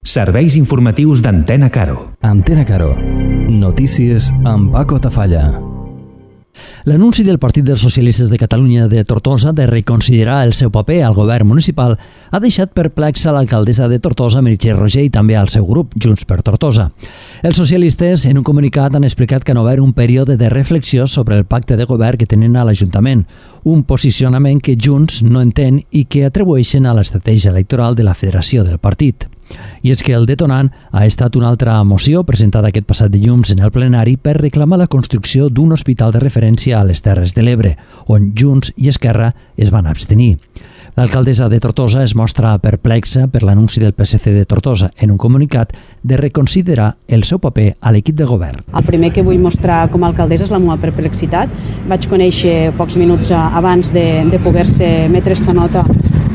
Serveis informatius d'Antena Caro. Antena Caro. Notícies amb Paco Tafalla. L'anunci del Partit dels Socialistes de Catalunya de Tortosa de reconsiderar el seu paper al govern municipal ha deixat perplexa l'alcaldessa de Tortosa, Meritxell Roger, i també al seu grup, Junts per Tortosa. Els socialistes, en un comunicat, han explicat que han obert un període de reflexió sobre el pacte de govern que tenen a l'Ajuntament, un posicionament que Junts no entén i que atribueixen a l'estratègia electoral de la federació del partit. I és que el detonant ha estat una altra moció presentada aquest passat dilluns en el plenari per reclamar la construcció d'un hospital de referència a les Terres de l'Ebre, on Junts i Esquerra es van abstenir. L'alcaldessa de Tortosa es mostra perplexa per l'anunci del PSC de Tortosa en un comunicat de reconsiderar el seu paper a l'equip de govern. El primer que vull mostrar com a alcaldessa és la meva perplexitat. Vaig conèixer pocs minuts abans de poder-se emetre esta nota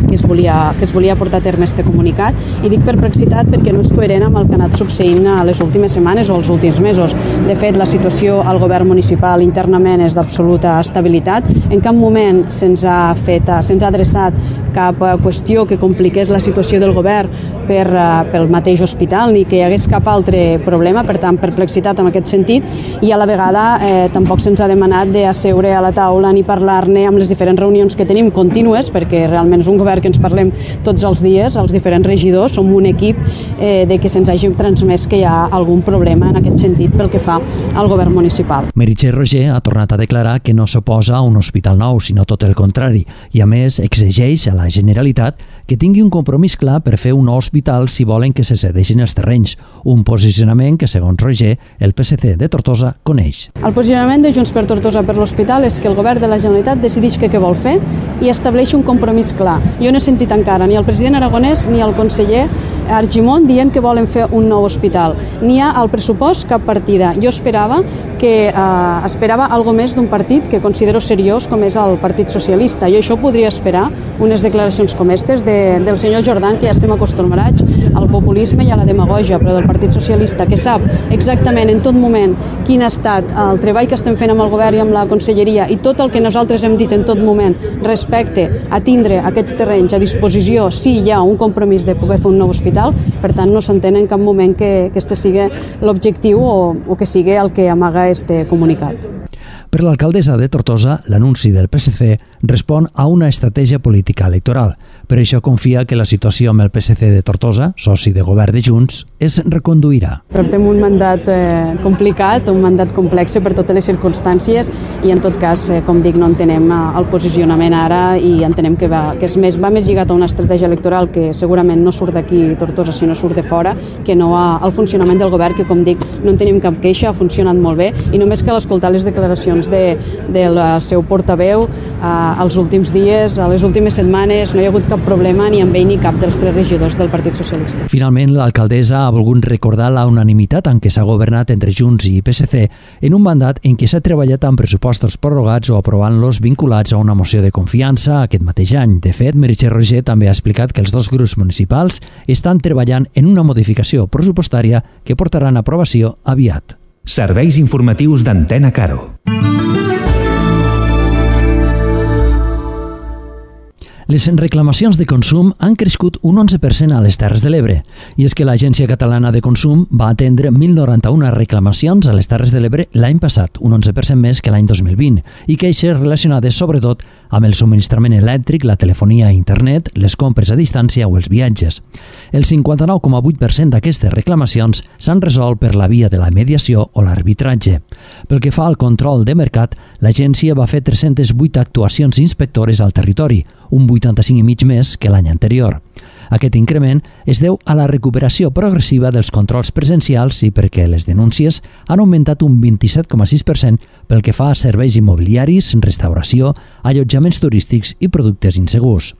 que es volia portar a terme este comunicat, i dic perplexitat perquè no és coherent amb el que ha anat succeint a les últimes setmanes o els últims mesos. De fet, la situació al govern municipal internament és d'absoluta estabilitat. En cap moment se'ns ha adreçat cap qüestió que compliqués la situació del govern pel mateix hospital, ni que hi hagués cap altre problema. Per tant, perplexitat en aquest sentit, i a la vegada tampoc se'ns ha demanat d'asseure a la taula ni parlar-ne amb les diferents reunions que tenim contínues, perquè realment és un govern que ens parlem tots els dies, els diferents regidors, som un equip de que se'ns hagi transmès que hi ha algun problema en aquest sentit pel que fa al govern municipal. Meritxell Roger ha tornat a declarar que no s'oposa a un hospital nou, sinó tot el contrari, i a més exigeix a la Generalitat que tingui un compromís clar per fer un nou hospital si volen que se cedeixin els terrenys, un posicionament que, segons Roger, el PSC de Tortosa coneix. El posicionament de Junts per Tortosa per l'hospital és que el govern de la Generalitat decideix què vol fer i estableix un compromís clar. Jo no he sentit encara ni el president Aragonès ni el conseller Argimon dient que volen fer un nou hospital. Ni hi ha al pressupost cap partida. Jo esperava algo més d'un partit que considero seriós com és el Partit Socialista. Jo això podria esperar unes declaracions com aquestes del senyor Jordan, que ja estem acostumats al populisme i a la demagògia, però del Partit Socialista, que sap exactament en tot moment quin ha estat el treball que estem fent amb el govern i amb la conselleria, i tot el que nosaltres hem dit en tot moment respecte a tindre aquests terrenys a disposició si hi ha un compromís de poder fer un nou hospital. Per tant, no s'entén en cap moment que este sigui l'objectiu o que sigui el que amaga este comunicat. Per l'alcaldessa de Tortosa, l'anunci del PSC respon a una estratègia política electoral. Per això confia que la situació amb el PSC de Tortosa, soci de govern de Junts, es reconduirà. Portem un mandat complicat, un mandat complex per totes les circumstàncies, i en tot cas, com dic, no entenem el posicionament ara i entenem que va més lligat a una estratègia electoral que segurament no surt d'aquí Tortosa, sinó surt de fora, que no al funcionament del govern, que, com dic, no en tenim cap queixa, ha funcionat molt bé, i només cal escoltar les declaracions del seu portaveu els últims dies, a les últimes setmanes, no hi ha hagut cap problema ni amb ell ni cap dels 3 regidors del Partit Socialista. Finalment, l'alcaldessa ha volgut recordar la unanimitat en què s'ha governat entre Junts i PSC en un mandat en què s'ha treballat amb pressupostos prorrogats o aprovant-los vinculats a una moció de confiança aquest mateix any. De fet, Meritxell Roger també ha explicat que els dos grups municipals estan treballant en una modificació pressupostària que portaran a aprovació aviat. Serveis informatius d'Antena Caro. Les reclamacions de consum han crescut un 11% a les Terres de l'Ebre, i és que l'Agència Catalana de Consum va atendre 1.091 reclamacions a les Terres de l'Ebre l'any passat, un 11% més que l'any 2020, i queixes relacionades sobretot amb el subministrament elèctric, la telefonia a internet, les compres a distància o els viatges. El 59,8% d'aquestes reclamacions s'han resolt per la via de la mediació o l'arbitratge. Pel que fa al control de mercat, l'agència va fer 308 actuacions inspectores al territori, un 85,5 més que l'any anterior. Aquest increment es deu a la recuperació progressiva dels controls presencials i perquè les denúncies han augmentat un 27,6% pel que fa a serveis immobiliaris, restauració, allotjaments turístics i productes insegurs.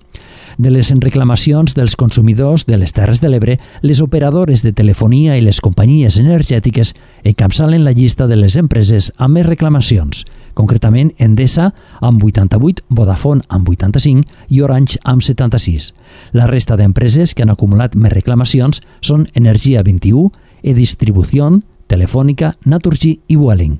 De les reclamacions dels consumidors de les Terres de l'Ebre, les operadores de telefonia i les companyies energètiques encapçalen la llista de les empreses amb més reclamacions, concretament Endesa amb 88, Vodafone amb 85 i Orange amb 76. La resta d'empreses que han acumulat més reclamacions són Energia 21, E-Distribución, Telefònica, Naturgy i Vueling.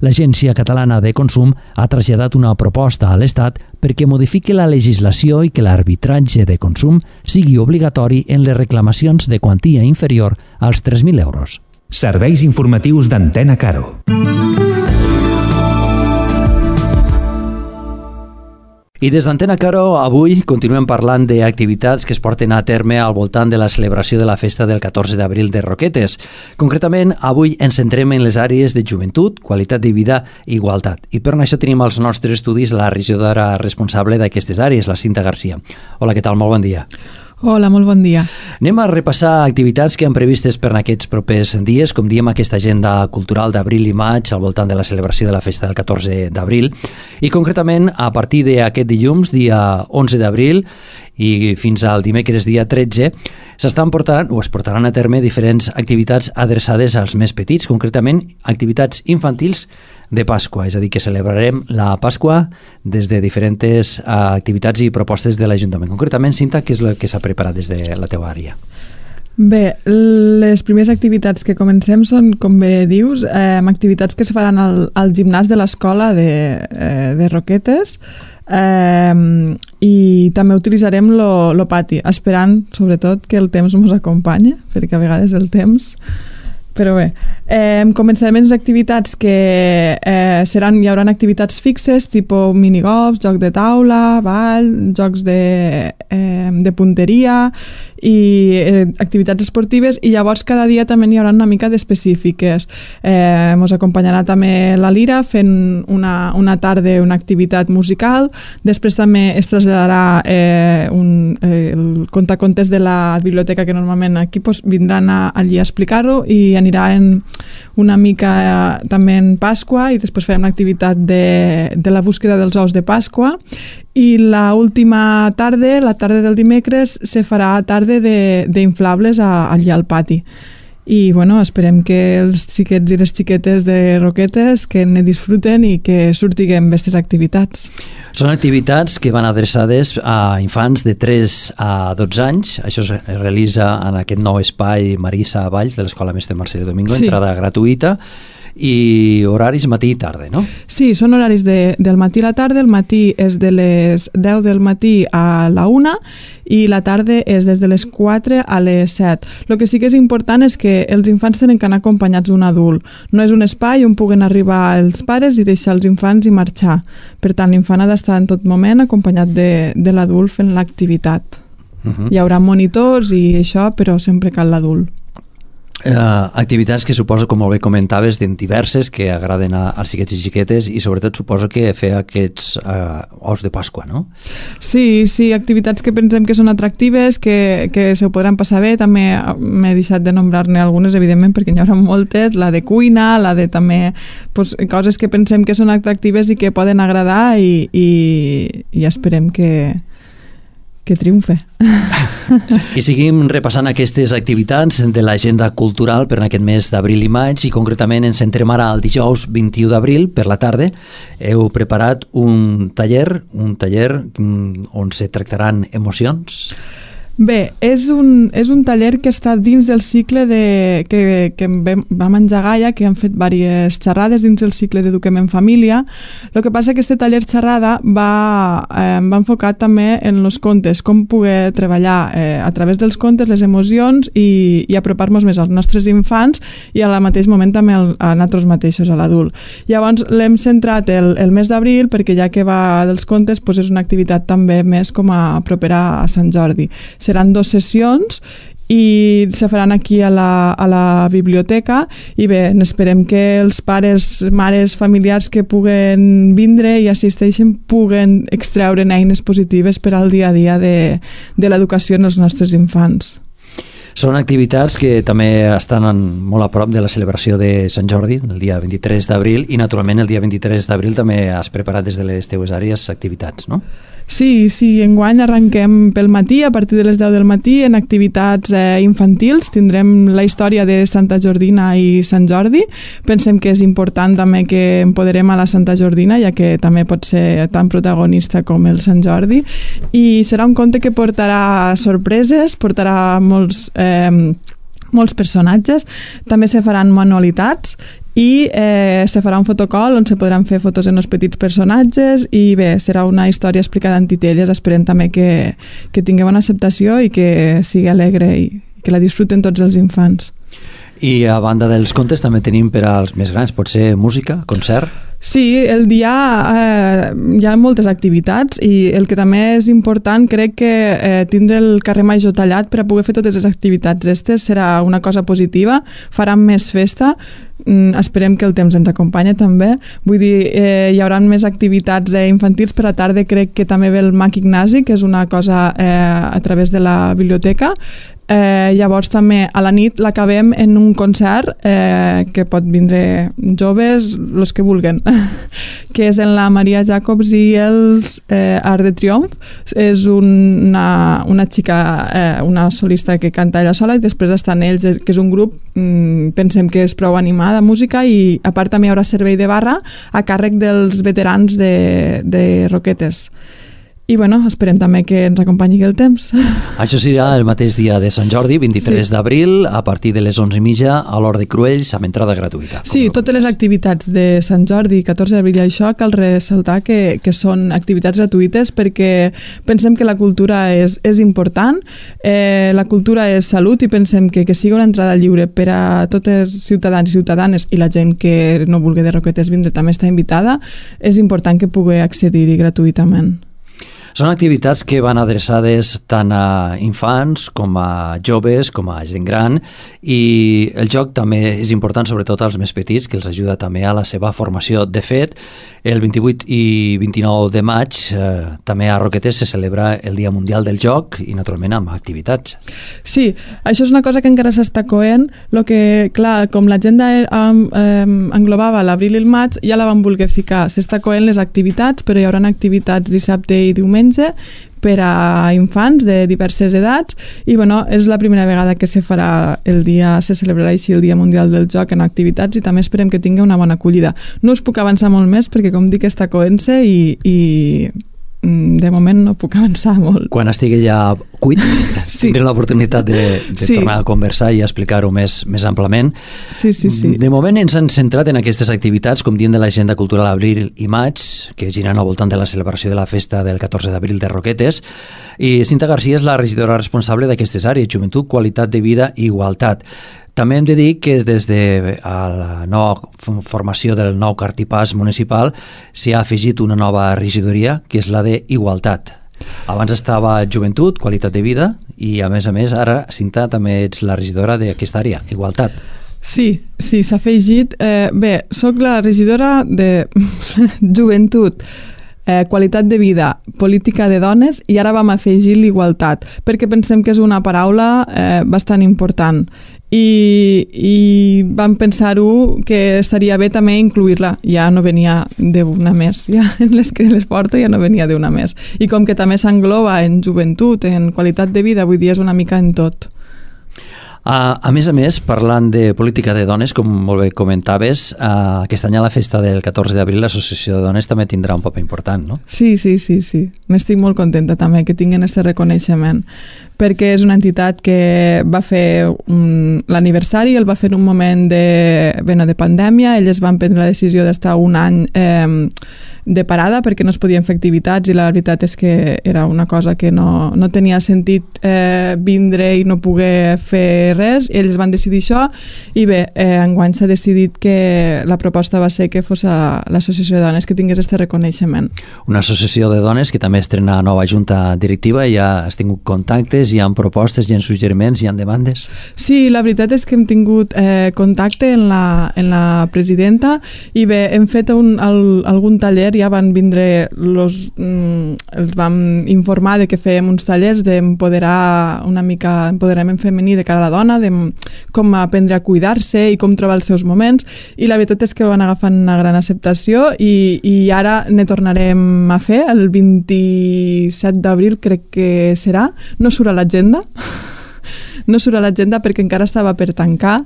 L'Agència Catalana de Consum ha traslladat una proposta a l'Estat perquè modifiqui la legislació i que l'arbitratge de consum sigui obligatori en les reclamacions de quantia inferior als 3.000 euros. Serveis informatius d'Antena Caro. I des d'Antena Caro, avui continuem parlant d'activitats que es porten a terme al voltant de la celebració de la festa del 14 d'abril de Roquetes. Concretament, avui ens centrem en les àrees de joventut, qualitat de vida i igualtat. I per això tenim als nostres estudis la regidora responsable d'aquestes àrees, la Cinta Garcia. Hola, què tal? Molt bon dia. Hola, molt bon dia. Anem a repassar activitats que han previstes per aquests propers dies, com diem, aquesta agenda cultural d'abril i maig al voltant de la celebració de la festa del 14 d'abril. I concretament, a partir d'aquest dilluns, dia 11 d'abril, i fins al dimecres dia 13, s'estan portant o es portaran a terme diferents activitats adreçades als més petits, concretament activitats infantils de Pasqua, és a dir, que celebrarem la Pasqua des de diferents activitats i propostes de l'Ajuntament. Concretament, Cinta, què és el que s'ha preparat des de la teva àrea? Bé, les primeres activitats que comencem són, com bé dius, activitats que es faran al gimnàs de l'escola de Roquetes, i també utilitzarem lo pati, esperant sobretot que el temps ens acompanyi, perquè a vegades el temps... Però bé, començarem amb les activitats que hi haurà activitats fixes, tipus minigolf, joc de taula, ball, jocs de punteria i activitats esportives, i llavors cada dia també hi haurà una mica d'específiques. Ens acompanyarà també la Lira fent una tarda, una activitat musical, després també es traslladarà el contacontes de la biblioteca, que normalment aquí vindran allí a explicar-ho, i anirà una mica també en Pasqua, i després farem l'activitat de la búsqueda dels ous de Pasqua, i l'última tarda, la tarda del dimecres, se farà tarda d'inflables allà al pati. I bueno, esperem que els xiquets i les xiquetes de Roquetes que ne disfruten i que sortiguem aquestes activitats. Són activitats que van adreçades a infants de 3 a 12 anys. Això es realitza en aquest nou espai Marisa Valls de l'Escola Mestre Mercè Domingo, sí. Entrada gratuïta, i horaris matí i tarda, no? Sí, són horaris del matí a la tarda. El matí és de les 10 del matí a la 1 i la tarda és des de les 4 a les 7. El que sí que és important és que els infants tenen que anar acompanyats d'un adult. No és un espai on puguen arribar els pares i deixar els infants i marxar. Per tant, l'infant ha d'estar en tot moment acompanyat de l'adult fent l'activitat. Hi haurà monitors i això, però sempre cal l'adult. Activitats que suposo, com molt bé comentaves, diverses, que agraden als xiquets i xiquetes, i sobretot suposo que fer aquests ous de Pasqua, no? Sí, activitats que pensem que són atractives, que se ho podran passar bé. També m'he deixat de nombrar-ne algunes, evidentment, perquè n'hi haurà moltes, la de cuina, la de també coses que pensem que són atractives i que poden agradar, i esperem que triomfe. I seguim repassant aquestes activitats de l'agenda cultural per aquest mes d'abril i maig, i concretament ens centrem ara el dijous 21 d'abril per la tarda. Heu preparat un taller on se tractaran emocions. Bé, és un taller que està dins del cicle que vam engegar ja, que han fet diverses xerrades dins del cicle d'Eduquem en Família. El que passa que aquest taller xerrada va enfocat també en els contes, com poder treballar a través dels contes les emocions i apropar-nos més als nostres infants i al mateix moment també a nosaltres mateixos, a l'adult. Llavors l'hem centrat el mes d'abril perquè ja que va dels contes és una activitat també més com a propera a Sant Jordi. Seran 2 sessions i se faran aquí a la biblioteca, i bé, esperem que els pares, mares, familiars que puguen vindre i assisteixen puguen extreure eines positives per al dia a dia de l'educació en els nostres infants. Són activitats que també estan molt a prop de la celebració de Sant Jordi, el dia 23 d'abril, i naturalment el dia 23 d'abril també has preparat des de les teues àrees activitats, no? Sí, enguany arrenquem pel matí, a partir de les 10 del matí, en activitats infantils. Tindrem la història de Santa Jordina i Sant Jordi. Pensem que és important també que empoderem a la Santa Jordina, ja que també pot ser tan protagonista com el Sant Jordi. I serà un conte que portarà sorpreses, portarà molts molts personatges. També se faran manualitats i se farà un fotocall on se podran fer fotos en els petits personatges i bé, serà una història explicada en titelles. Esperem també que tingui bona acceptació i que sigui alegre i que la disfruten tots els infants. I a banda dels contes també tenim per als més grans, pot ser música, concert? Sí, el dia hi ha moltes activitats i el que també és important crec que tindre el carrer Major tallat per a poder fer totes les activitats estes serà una cosa positiva, faran més festa, esperem que el temps ens acompanya també, vull dir, hi haurà més activitats infantils per a tarda, crec que també ve el Mac Ignasi, que és una cosa a través de la biblioteca. Llavors també a la nit l'acabem en un concert que pot vindre joves, els que vulguen, que és en la Maria Jacobs i els Art de Triomf. És una xica, una solista que canta ella sola, i després estan ells, que és un grup, pensem que és prou animada música, i a part també hi haurà servei de barra a càrrec dels veterans de Roquetes. I bueno, esperem també que ens acompanyi el temps. Això serà el mateix dia de Sant Jordi, 23 d'abril, a partir de les 11:30 a l'Hort de Cruells, amb entrada gratuïta. Sí, totes les activitats de Sant Jordi, 14 d'abril, i això cal ressaltar que són activitats gratuïtes perquè pensem que la cultura és important, la cultura és salut, i pensem que sigui una entrada lliure per a tots els ciutadans i ciutadanes, i la gent que no vulgui de Roquetes vindre també està invitada, és important que pugui accedir-hi gratuïtament. Són activitats que van adreçades tant a infants com a joves, com a gent gran, i el joc també és important, sobretot als més petits, que els ajuda també a la seva formació. De fet, el 28 i 29 de maig també a Roquetes se celebra el Dia Mundial del Joc, i naturalment amb activitats. Sí, això és una cosa que encara s'està coent, que, clar, com l'agenda englobava l'abril i el maig, ja la van voler ficar. S'està coent les activitats, però hi haurà activitats dissabte i diumenge per a infants de diverses edats, i bueno, és la primera vegada que se celebrarà així el Dia Mundial del Joc en activitats, i també esperem que tingui una bona acollida. No us puc avançar molt més perquè, com dic, està coent-se i de moment no puc avançar molt. Quan estigui ja cuit, tindré l'oportunitat de tornar a conversar i explicar-ho més amplament. Sí. De moment ens han centrat en aquestes activitats, com dient de l'agenda cultural abril i maig, que giren al voltant de la celebració de la festa del 14 d'abril de Roquetes, i Cinta Garcia és la regidora responsable d'aquestes àrees: joventut, qualitat de vida i igualtat. També hem de dir que des de la nova formació del nou cartipàs municipal s'hi ha afegit una nova regidoria, que és la d'Igualtat. Abans estava Joventut, Qualitat de Vida, i a més, ara, Cinta, també ets la regidora d'aquesta àrea, Igualtat. Sí, s'ha afegit. Bé, soc la regidora de Joventut, qualitat de vida, política de dones, i ara vam afegir l'igualtat, perquè pensem que és una paraula bastant important. I vam pensar-ho que estaria bé també incluir-la. Ja no venia d'una més, ja en les que les porto ja no venia d'una més. I com que també s'engloba en joventut, en qualitat de vida, vull dir, és una mica en tot. A més, parlant de política de dones, com molt bé comentaves, aquest any a la festa del 14 d'abril l'Associació de Dones també tindrà un paper important, no? Sí. N'estic molt contenta també que tinguin aquest reconeixement, perquè és una entitat que va fer l'aniversari, el va fer en un moment de pandèmia. Elles van prendre la decisió d'estar un any de parada perquè no es podien fer activitats, i la veritat és que era una cosa que no tenia sentit vindre i no poder fer res, i ells van decidir això, i bé, enguany s'ha decidit que la proposta va ser que fos l'Associació de Dones que tingués aquest reconeixement. Una associació de dones que també estrena nova junta directiva, i ja has tingut contactes, hi ha propostes, hi ha suggeriments, hi ha demandes? Sí, la veritat és que hem tingut contacte en la presidenta, i bé, hem fet algun taller, ja van vindre els vam informar de que fèiem uns tallers d'empoderar una mica, empoderament femení de cara a la dona, de com aprendre a cuidar-se i com trobar els seus moments, i la veritat és que van agafant una gran acceptació, i ara ne tornarem a fer el 27 d'abril, crec que serà. No surt a l'agenda, no surt a l'agenda perquè encara estava per tancar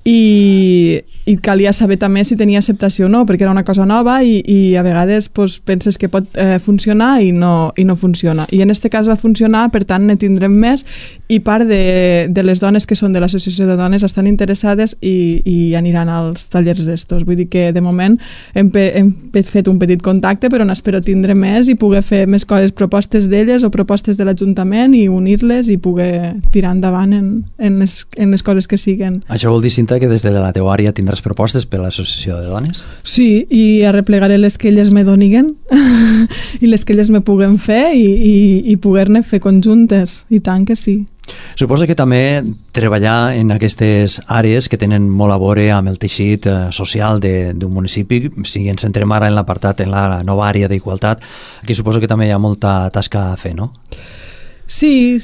i calia saber també si tenia acceptació o no, perquè era una cosa nova i a vegades pues, penses que pot funcionar i no funciona. I en aquest cas va funcionar, per tant ne tindrem més i part de les dones que són de l'associació de dones estan interessades i aniran als tallers d'estos. Vull dir que de moment hem fet un petit contacte, però n'espero tindre més i poder fer més coses, propostes d'elles o propostes de l'Ajuntament i unir-les i poder tirar endavant en les coses que siguen. Això vol dir, Cinta, que des de la teua àrea tindràs propostes per a l'associació de dones? Sí, i arreplegaré les que elles me doniguen i les que elles me puguen fer i poder-ne fer conjuntes, i tant que sí. Suposo que també treballar en aquestes àrees que tenen molt a veure amb el teixit social d'un municipi, si ens centrem ara en l'apartat, en la nova àrea d'igualtat, aquí suposo que també hi ha molta tasca a fer, no? Sí,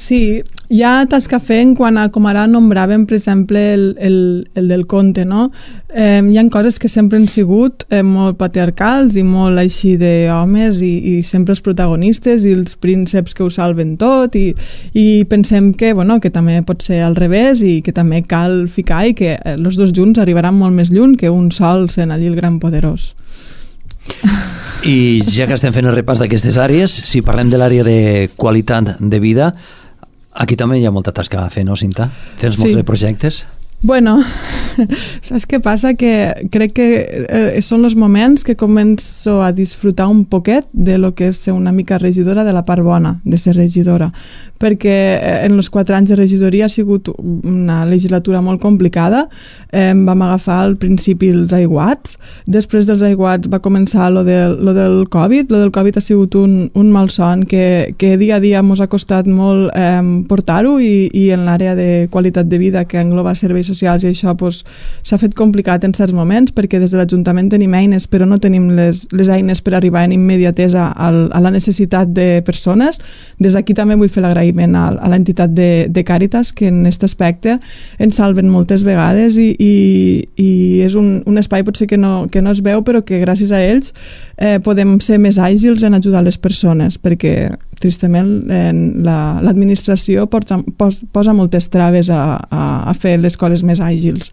hi ha tasca a fer en quant a, com ara nombràvem, per exemple, el del conte, no? Hi ha coses que sempre han sigut molt patriarcals i molt així d'homes i sempre els protagonistes i els prínceps que ho salven tot i pensem que, bueno, que també pot ser al revés i que també cal ficar i que els dos junts arribaran molt més lluny que un sol sent allí el gran poderós. I ja que estem fent el repàs d'aquestes àrees, si parlem de l'àrea de qualitat de vida, aquí també hi ha molta tasca a fer, no, Cinta? Tens molts de projectes? Bueno, saps què passa? Que crec que són els moments que començo a disfrutar un poquet de lo que és ser una mica regidora, de la part bona de ser regidora, perquè en els 4 anys de regidoria ha sigut una legislatura molt complicada. Vam agafar al principi els aiguats, després dels aiguats va començar lo del Covid. Lo del Covid ha sigut un malson que dia a dia ens ha costat molt portar-ho i en l'àrea de qualitat de vida que engloba serveis socials i això s'ha fet complicat en certs moments perquè des de l'Ajuntament tenim eines però no tenim les eines per arribar en immediatesa a la necessitat de persones. Des d'aquí també vull fer l'agraïment a l'entitat de Càritas, que en aquest aspecte ens salven moltes vegades i és un espai potser que no es veu però que gràcies a ells podem ser més àgils en ajudar les persones, perquè tristament l'administració posa moltes traves a fer les coses més àgils.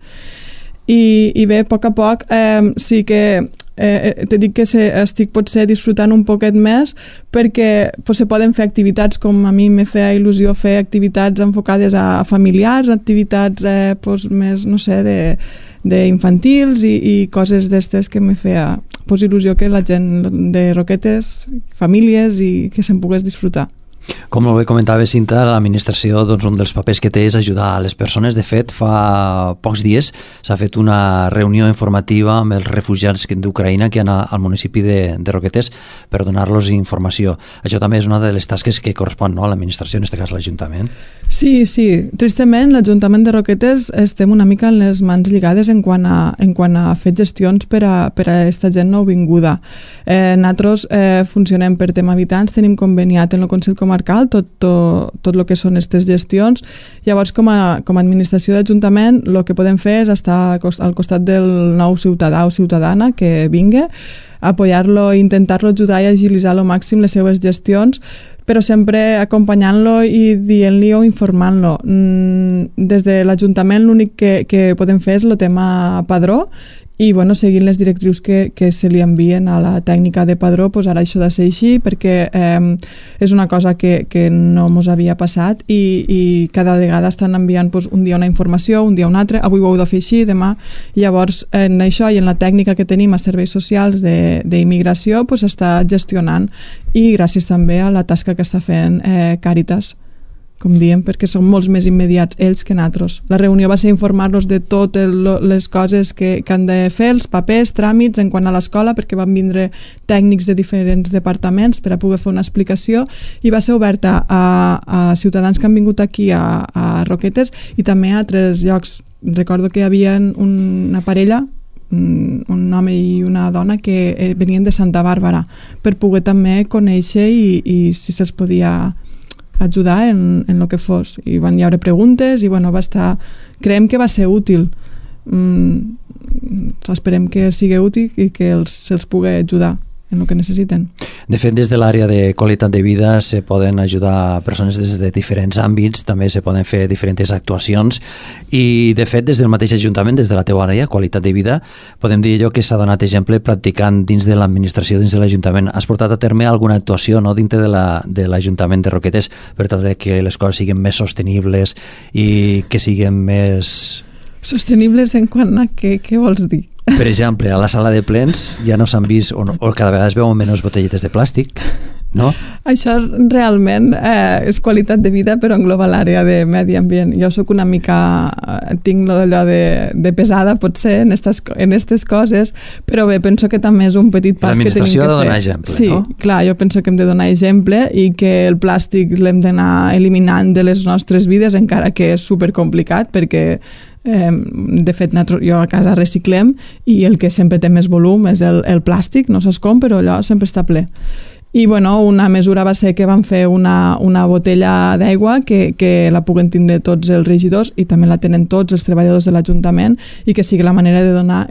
I bé, a poc sí que te dic que estic potser disfrutant un poquet més perquè se poden fer activitats com a mi me feia il·lusió fer activitats enfocades a familiars, activitats més, no sé, d'infantils i coses d'estes que me feia il·lusió que la gent de Roquetes, famílies i que se'n pogués disfrutar. Com bé comentava Cinta, l'administració, doncs, un dels papers que té és ajudar a les persones. De fet, fa pocs dies s'ha fet una reunió informativa amb els refugiats d'Ucraïna que han al municipi de Roquetes per donar-los informació. Això també és una de les tasques que correspon, no, a l'administració, en aquest cas l'Ajuntament. Sí. Tristament, l'Ajuntament de Roquetes estem una mica en les mans lligades en quant a fer gestions per a aquesta gent nouvinguda. Nosaltres funcionem per tema habitants, tenim conveniat en el Consell Comarcal tot el que són aquestes gestions. Llavors, com a administració d'Ajuntament, el que podem fer és estar al costat del nou ciutadà o ciutadana que vingui, apoyar-lo i intentar-lo ajudar i agilitzar al màxim les seves gestions, però sempre acompanyant-lo i dient-li o informant-lo. Des de l'Ajuntament l'únic que podem fer és el tema padró i seguint les directrius que se li envien a la tècnica de padró, ara això ha de ser així perquè és una cosa que no ens havia passat i cada vegada estan enviant un dia una informació, un dia una altra, avui ho heu de fer així, demà. Llavors, en això i en la tècnica que tenim a serveis socials d'immigració s'està gestionant i gràcies també a la tasca que està fent Càritas, com diem, perquè són molts més immediats ells que nosaltres. La reunió va ser informar-los de totes les coses que han de fer, els papers, tràmits en quant a l'escola, perquè van vindre tècnics de diferents departaments per a poder fer una explicació i va ser oberta a ciutadans que han vingut aquí a Roquetes i també a altres llocs. Recordo que hi havia una parella, un home i una dona que venien de Santa Bàrbara per poder també conèixer i si se'ls podia ajudar en el que fos. I van hi haure preguntes i creiem que va ser útil. Esperem que sigui útil i que se'ls pugui ajudar el que necessiten. De fet, des de l'àrea de qualitat de vida se poden ajudar persones des de diferents àmbits, també se poden fer diferents actuacions i, de fet, des del mateix Ajuntament, des de la teva àrea, qualitat de vida, podem dir allò que s'ha donat exemple practicant dins de l'administració, dins de l'Ajuntament. Has portat a terme alguna actuació, no?, dintre de l'Ajuntament de Roquetes per tal de que les coses siguin més sostenibles i que siguin més... Sostenibles en quant a què vols dir? Per exemple, a la sala de plens ja no s'han vist, o cada vegada es veuen menys botelletes de plàstic, no? Això realment és qualitat de vida, però engloba l'àrea de medi ambient. Jo sóc una mica... tinc allò de pesada, potser, en aquestes coses, però bé, penso que també és un petit pas que tenim que fer. L'administració ha de donar exemple, sí, no? Sí, clar, jo penso que hem de donar exemple i que el plàstic l'hem d'anar eliminant de les nostres vides, encara que és supercomplicat, perquè de fet jo a casa reciclem i el que sempre té més volum és el plàstic, no saps com, però allò sempre està ple. I bueno, una mesura va ser que vam fer una botella d'aigua que la puguen tindre tots els regidors i també la tenen tots els treballadors de l'Ajuntament i que sigui la manera de donar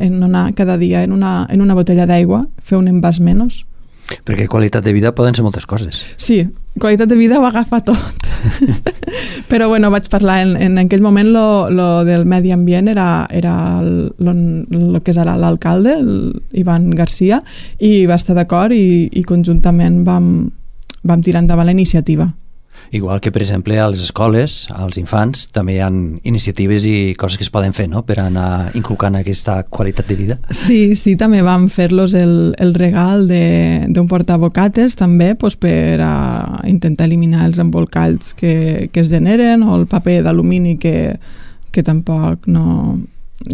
cada dia en una botella d'aigua, fer un envàs menys. Perquè qualitat de vida poden ser moltes coses. Sí, qualitat de vida ho agafa tot. Però bueno, vaig parlar en aquell moment lo del medi ambient era el que és ara l'alcalde, Ivan Garcia, i va estar d'acord i conjuntament vam tirar endavant la iniciativa. Igual que, per exemple, a les escoles, als infants, també hi ha iniciatives i coses que es poden fer, no?, per anar inculcant aquesta qualitat de vida. Sí, també vam fer-los el regal d'un portabocates, també, per intentar eliminar els embolcalls que es generen, o el paper d'alumini que tampoc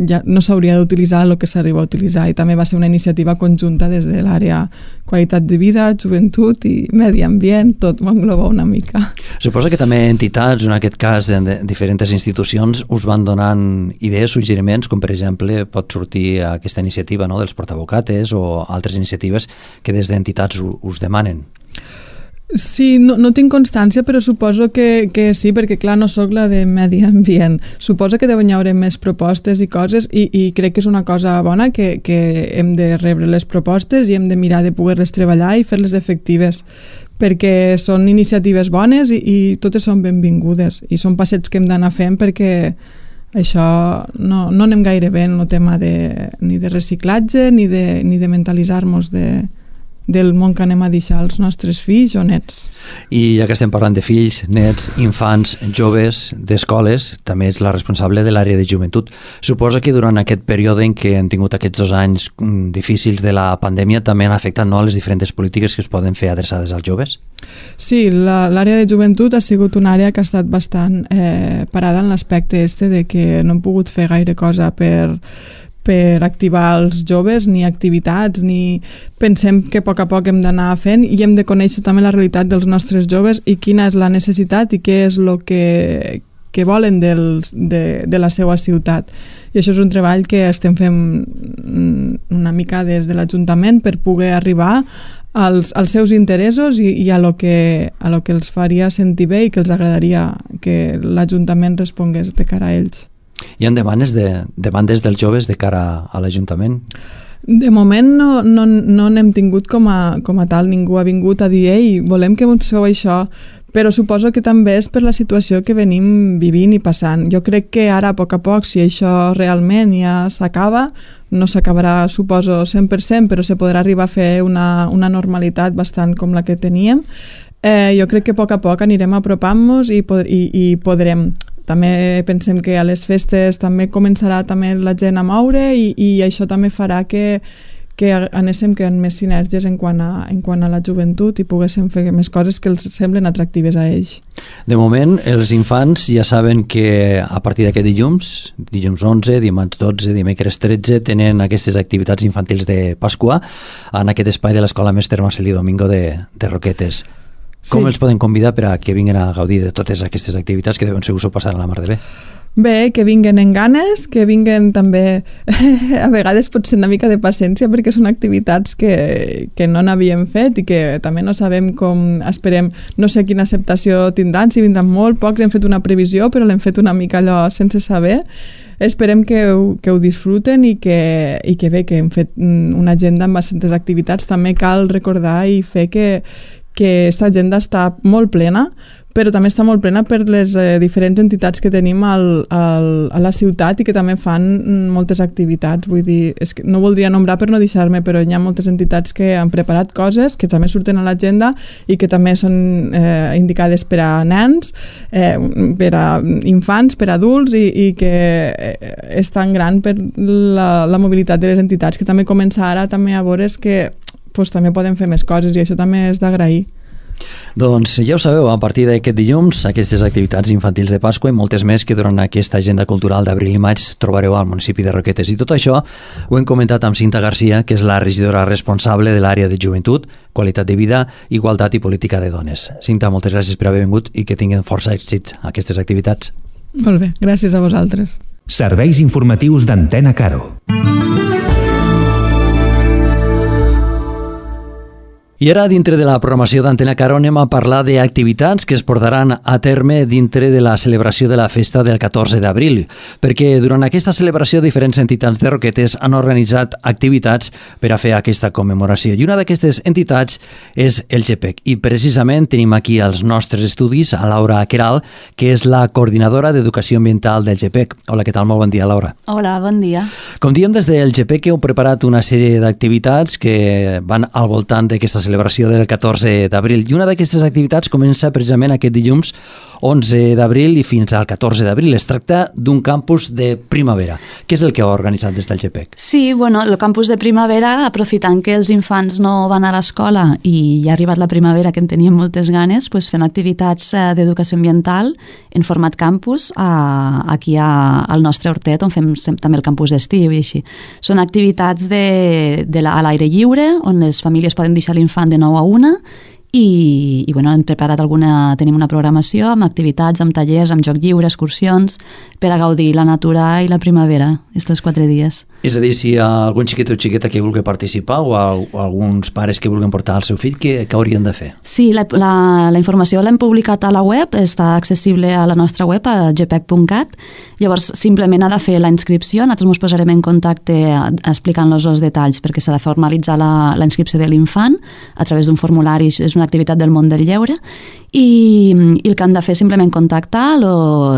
ja no s'hauria d'utilitzar el que s'arriba a utilitzar, i també va ser una iniciativa conjunta des de l'àrea qualitat de vida, joventut i medi ambient, tot ho engloba una mica. Suposo que també entitats, en aquest cas de diferents institucions, us van donant idees, suggeriments, com per exemple pot sortir aquesta iniciativa, no?, dels portabocates o altres iniciatives que des d'entitats us demanen. Sí, no tinc constància, però suposo que sí, perquè clar, no sóc la de medi ambient. Suposo que deuen hi haver més propostes i coses i crec que és una cosa bona que hem de rebre les propostes i hem de mirar de poder-les treballar i fer-les efectives, perquè són iniciatives bones i totes són benvingudes i són passets que hem d'anar fent perquè això no anem gaire bé en el tema ni de reciclatge ni de mentalitzar-nos del món que anem a deixar als nostres fills o nets. I ja que estem parlant de fills, nets, infants, joves, d'escoles, també ets la responsable de l'àrea de joventut. Suposa que durant aquest període en què hem tingut aquests 2 anys difícils de la pandèmia també han afectat, no?, les diferents polítiques que es poden fer adreçades als joves? Sí, l'àrea de joventut ha sigut una àrea que ha estat bastant parada en l'aspecte de que no hem pogut fer gaire cosa per activar els joves, ni activitats, ni pensem que a poc hem d'anar fent i hem de conèixer també la realitat dels nostres joves i quina és la necessitat i què és el que volen de la seva ciutat. I això és un treball que estem fent una mica des de l'Ajuntament per poder arribar als seus interessos i a lo que els faria sentir bé i que els agradaria que l'Ajuntament respongués de cara a ells. Hi ha demandes dels joves de cara a l'Ajuntament? De moment no n'hem tingut com a tal, ningú ha vingut a dir «Ei, volem que ens feu això», però suposo que també és per la situació que venim vivint i passant. Jo crec que ara, a poc, si això realment ja s'acaba, no s'acabarà, suposo, 100%, però se podrà arribar a fer una normalitat bastant com la que teníem. Jo crec que a poc anirem apropant-nos i podrem. També pensem que a les festes també començarà també la gent a moure i això també farà que anéssim creant més sinergies en quant a la joventut i poguéssim fer més coses que els semblen atractives a ells. De moment, els infants ja saben que a partir d'aquest dilluns 11, dimarts 12, dimecres 13, tenen aquestes activitats infantils de Pasqua en aquest espai de l'Escola Mestre Marcelí Domingo de Roquetes. Com els poden convidar per a que vinguin a gaudir de totes aquestes activitats que deuen ser us ho passar a la mar de bé? Bé, que vinguen en ganes, que vinguen també a vegades pot ser una mica de paciència perquè són activitats que no n'havíem fet i que també no sabem com esperem, no sé quina acceptació tindran, si vindran molt, pocs, hem fet una previsió però l'hem fet una mica allò sense saber, esperem que ho disfruten i que bé, que hem fet una agenda amb bastantes activitats. També cal recordar i fer que aquesta agenda està molt plena, però també està molt plena per les diferents entitats que tenim a la ciutat i que també fan moltes activitats. Vull dir, és que no voldria nombrar per no deixar-me, però hi ha moltes entitats que han preparat coses que també surten a l'agenda i que també són indicades per a nens, per a infants, per a adults i que és tan gran per la mobilitat de les entitats que també comença ara també a veure que també poden fer més coses i això també és d'agrair. Doncs ja ho sabeu, a partir d'aquest dilluns, aquestes activitats infantils de Pasqua i moltes més que durant aquesta agenda cultural d'abril i maig trobareu al municipi de Roquetes. I tot això ho hem comentat amb Cinta Garcia, que és la regidora responsable de l'àrea de joventut, qualitat de vida, igualtat i política de dones. Cinta, moltes gràcies per haver vingut i que tinguin força èxits aquestes activitats. Molt bé, gràcies a vosaltres. Serveis informatius d'Antena Caro. I ara, dintre de la programació d'Antena Caro, anem a parlar d'activitats que es portaran a terme dintre de la celebració de la festa del 14 d'abril, perquè durant aquesta celebració diferents entitats de Roquetes han organitzat activitats per a fer aquesta commemoració. I una d'aquestes entitats és el GPEC. I precisament tenim aquí als nostres estudis a Laura Queralt, que és la coordinadora d'Educació Ambiental del GPEC. Hola, què tal? Molt bon dia, Laura. Hola, bon dia. Com diem, des del GPEC heu preparat una sèrie d'activitats que van al voltant d'aquesta celebració del 14 d'abril. I una d'aquestes activitats comença precisament aquest dilluns 11 d'abril i fins al 14 d'abril. Es tracta d'un campus de primavera. Què és el que heu organitzat des del GPEC? Sí, bueno, el campus de primavera, aprofitant que els infants no van a l'escola i ja ha arribat la primavera, que en teníem moltes ganes, doncs fem activitats d'educació ambiental en format campus aquí al nostre hortet, on fem també el campus d'estiu i així. Són activitats a l'aire lliure, on les famílies poden deixar l'infant de 9 a 1 i bueno, hem preparat tenim una programació amb activitats, amb tallers, amb joc lliure, excursions, per a gaudir la natura i la primavera, aquests 4 dies. És a dir, si hi ha algun xiquet o xiqueta que vulgui participar o alguns pares que vulguin portar el seu fill, què haurien de fer? Sí, la informació l'hem publicat a la web, està accessible a la nostra web, a gpec.cat. Llavors, simplement ha de fer la inscripció, nosaltres ens posarem en contacte explicant-los els detalls, perquè s'ha de formalitzar la inscripció de l'infant a través d'un formulari, és una activitat del món del lleure, i el que han de fer és simplement contactar,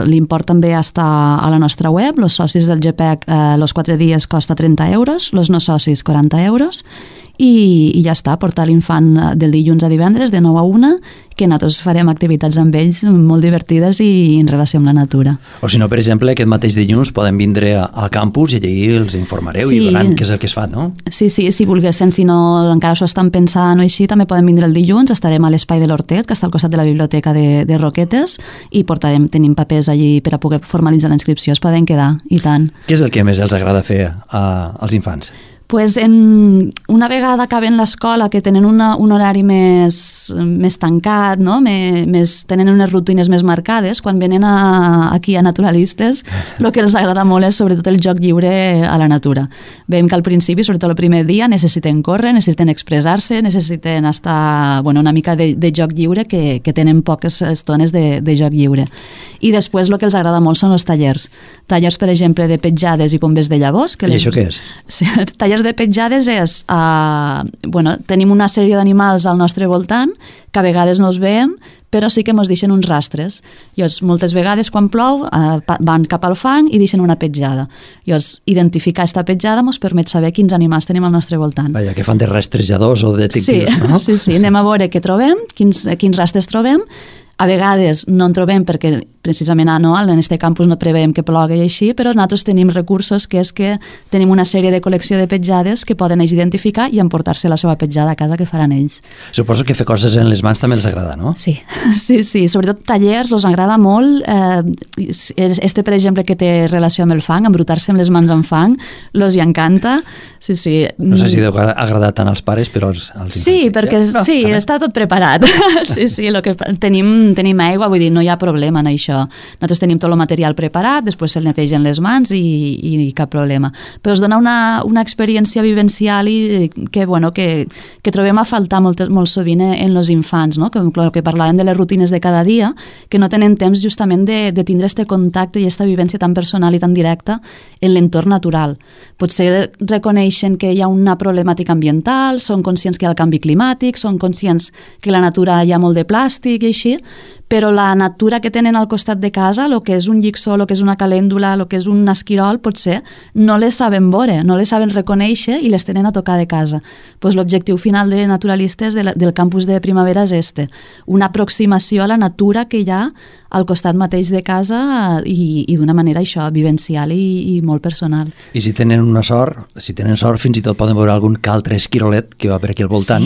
l'import també està a la nostra web, els socis del GPEC els 4 dies costa 30 euros, els no socis 40 euros, i ja està, portar l'infant del dilluns a divendres de 9 a 1, que nosaltres farem activitats amb ells molt divertides i en relació amb la natura. O si no, per exemple, aquest mateix dilluns poden vindre al campus i allà els informareu i veuran què és el que es fa, no? Sí, si volguessin, si no encara s'ho estan pensant o així, també poden vindre el dilluns, estarem a l'espai de l'Hortet, que està al costat de la biblioteca de Roquetes, i tenim papers allí per a poder formalitzar la inscripció, es poden quedar, i tant. Què és el que més els agrada fer als infants? Pues una vegada acaben l'escola, que tenen un horari més tancat, no? Tenen unes rutines més marcades, quan venen aquí a naturalistes, el que els agrada molt és sobretot el joc lliure a la natura. Veiem que al principi, sobretot el primer dia, necessiten córrer, necessiten expressar-se, necessiten estar una mica de joc lliure, que tenen poques estones de joc lliure. I després el que els agrada molt són els tallers. Tallers, per exemple, de petjades i pombes de llavors. I això què és? Sí, tallers de petjades és, tenim una sèrie d'animals al nostre voltant, que a vegades no els veiem, però sí que ens deixen uns rastres. Llavors, moltes vegades, quan plou, van cap al fang i deixen una petjada. Llavors, identificar aquesta petjada ens permet saber quins animals tenim al nostre voltant. Vaja, que fan de rastrejadors o de detectius, no? Sí, anem a veure què trobem, quins rastres trobem. A vegades no en trobem perquè precisament en aquest campus no preveiem que plogui així, però nosaltres tenim recursos, que és que tenim una sèrie de col·lecció de petjades que poden ells identificar i emportar-se la seva petjada a casa, que faran ells. Suposo que fer coses en les mans també els agrada, no? Sí, sobretot tallers els agrada molt. Per exemple, que té relació amb el fang, embrutar-se amb les mans en fang, els hi encanta. Sí. No sé si deu agradar tant als pares, però als infants. Sí, perquè està tot preparat. Sí, el que tenim aigua, vull dir, no hi ha problema en això. nosaltres tenim tot el material preparat, després se'l netegen les mans i cap problema. Però es dona una experiència vivencial que trobem a faltar molt sovint en els infants, no? Que parlàvem de les rutines de cada dia, que no tenen temps justament de tindre este contacte i esta vivència tan personal i tan directa en l'entorn natural. Potser reconeixen que hi ha una problemàtica ambiental, són conscients que hi ha el canvi climàtic, són conscients que a la natura hi ha molt de plàstic i així, però la natura que tenen al costat de casa, el que és un llicsó, el que és una calèndula, el que és un esquirol, potser no les saben veure, no les saben reconèixer i les tenen a tocar de casa. Pues l'objectiu final de naturalistes del campus de primavera és una aproximació a la natura que hi ha al costat mateix de casa i d'una manera això, vivencial i molt personal. I si tenen sort, fins i tot poden veure algun que altre esquirolet que va per aquí al voltant.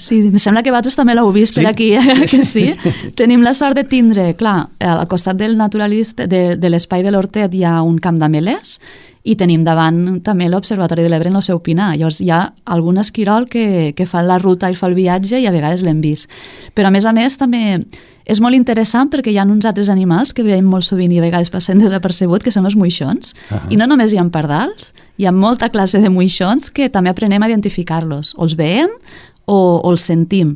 Sí, em sembla que vosaltres també l'heu vist per aquí, que sí. Tenim la sort de tindre, clar, al costat del naturalista, de l'espai de l'Hortet hi ha un camp d'amelers i tenim davant també l'Observatori de l'Ebre en el seu pinar. Llavors hi ha algun esquirol que fa la ruta i fa el viatge i a vegades l'hem vist. Però a més també és molt interessant perquè hi ha uns altres animals que veiem molt sovint i a vegades passen desapercebut, que són els moixons. I no només hi ha pardals, hi ha molta classe de moixons que també aprenem a identificar-los. O els veiem o els sentim.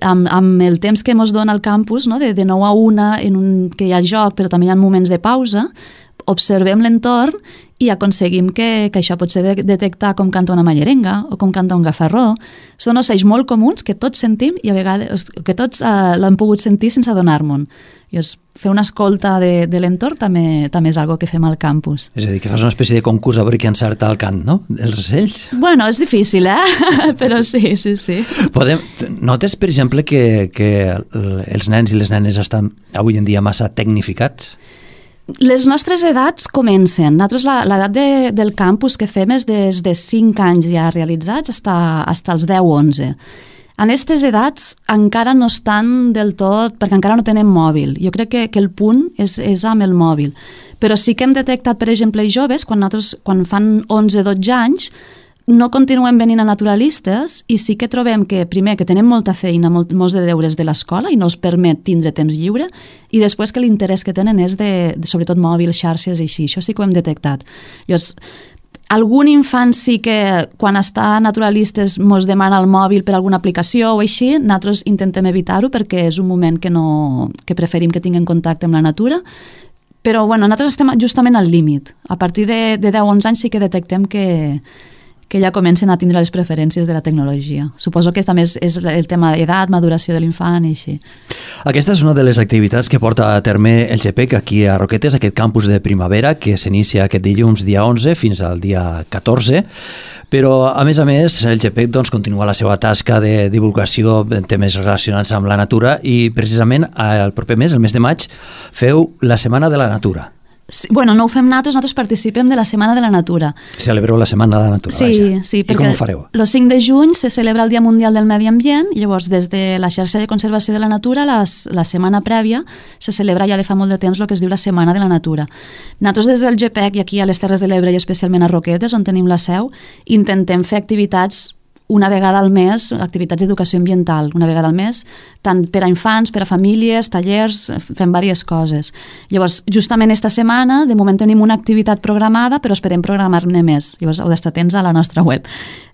Amb el temps que ens dona el campus, no? de 9 a 1, que hi ha joc però també hi ha moments de pausa, observem l'entorn i aconseguim que això pot ser detectar com canta una mallerenga o com canta un gafarró. Són ocells molt comuns que tots sentim i a vegades que tots l'han pogut sentir sense adonar-me'n. Fer una escolta de l'entorn també és algo que fem al campus. És a dir, que fas una espècie de concurs a veure qui encerta el cant, no? Els ocells. Bueno, és difícil, però sí. Notes, per exemple, que els nens i les nenes estan avui en dia massa tecnificats? Les nostres edats comencen. Nosaltres l'edat del campus que fem és des de 5 anys ja realitzats fins als 10-11. En aquestes edats encara no estan del tot, perquè encara no tenen mòbil. Jo crec que el punt és amb el mòbil. Però sí que hem detectat, per exemple, joves, quan fan 11-12 anys, no continuem venint a naturalistes i sí que trobem que, primer, que tenen molta feina, molts de deures de l'escola i no els permet tindre temps lliure, i després que l'interès que tenen és sobretot mòbil, xarxes i així. Això sí que ho hem detectat. Llavors, algun infant sí que quan està a naturalistes mos demana el mòbil per alguna aplicació o així, nosaltres intentem evitar-ho perquè és un moment que preferim que tinguin contacte amb la natura, però nosaltres estem justament al límit. A partir de 10-11 anys sí que detectem que ja comencen a tindre les preferències de la tecnologia. Suposo que també és el tema d'edat, maduració de l'infant i així. Aquesta és una de les activitats que porta a terme el GPEC aquí a Roquetes, aquest campus de primavera que s'inicia aquest dilluns dia 11 fins al dia 14, però a més, el GPEC continua la seva tasca de divulgació en temes relacionats amb la natura i precisament el proper mes, el mes de maig, feu la Setmana de la Natura. Sí, no ho fem nosaltres participem de la Setmana de la Natura. Celebreu la Setmana de la Natura, sí, I com ho fareu? El 5 de juny se celebra el Dia Mundial del Medi Ambient i llavors des de la xarxa de conservació de la natura la setmana prèvia se celebra ja de fa molt de temps el que es diu la Setmana de la Natura. Nosaltres des del GPEC i aquí a les Terres de l'Ebre i especialment a Roquetes, on tenim la seu, intentem fer activitats una vegada al mes, activitats d'educació ambiental, una vegada al mes, tant per a infants, per a famílies, tallers, fem diverses coses. Llavors, justament esta setmana, de moment tenim una activitat programada, però esperem programar-ne més. Llavors, heu d'estar atents a la nostra web.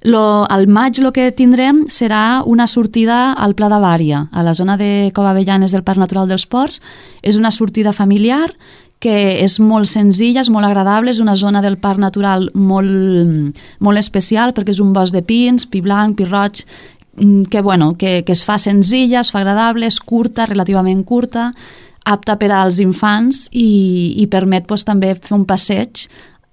Al maig el que tindrem serà una sortida al Pla de Vària, a la zona de Cova Avellanes del Parc Natural dels Ports. És una sortida familiar que és molt senzilla, és molt agradable, és una zona del parc natural molt especial perquè és un bosc de pins, pi blanc, pi roig, que es fa senzilla, es fa agradable, és curta, relativament curta, apta per als infants i permet també fer un passeig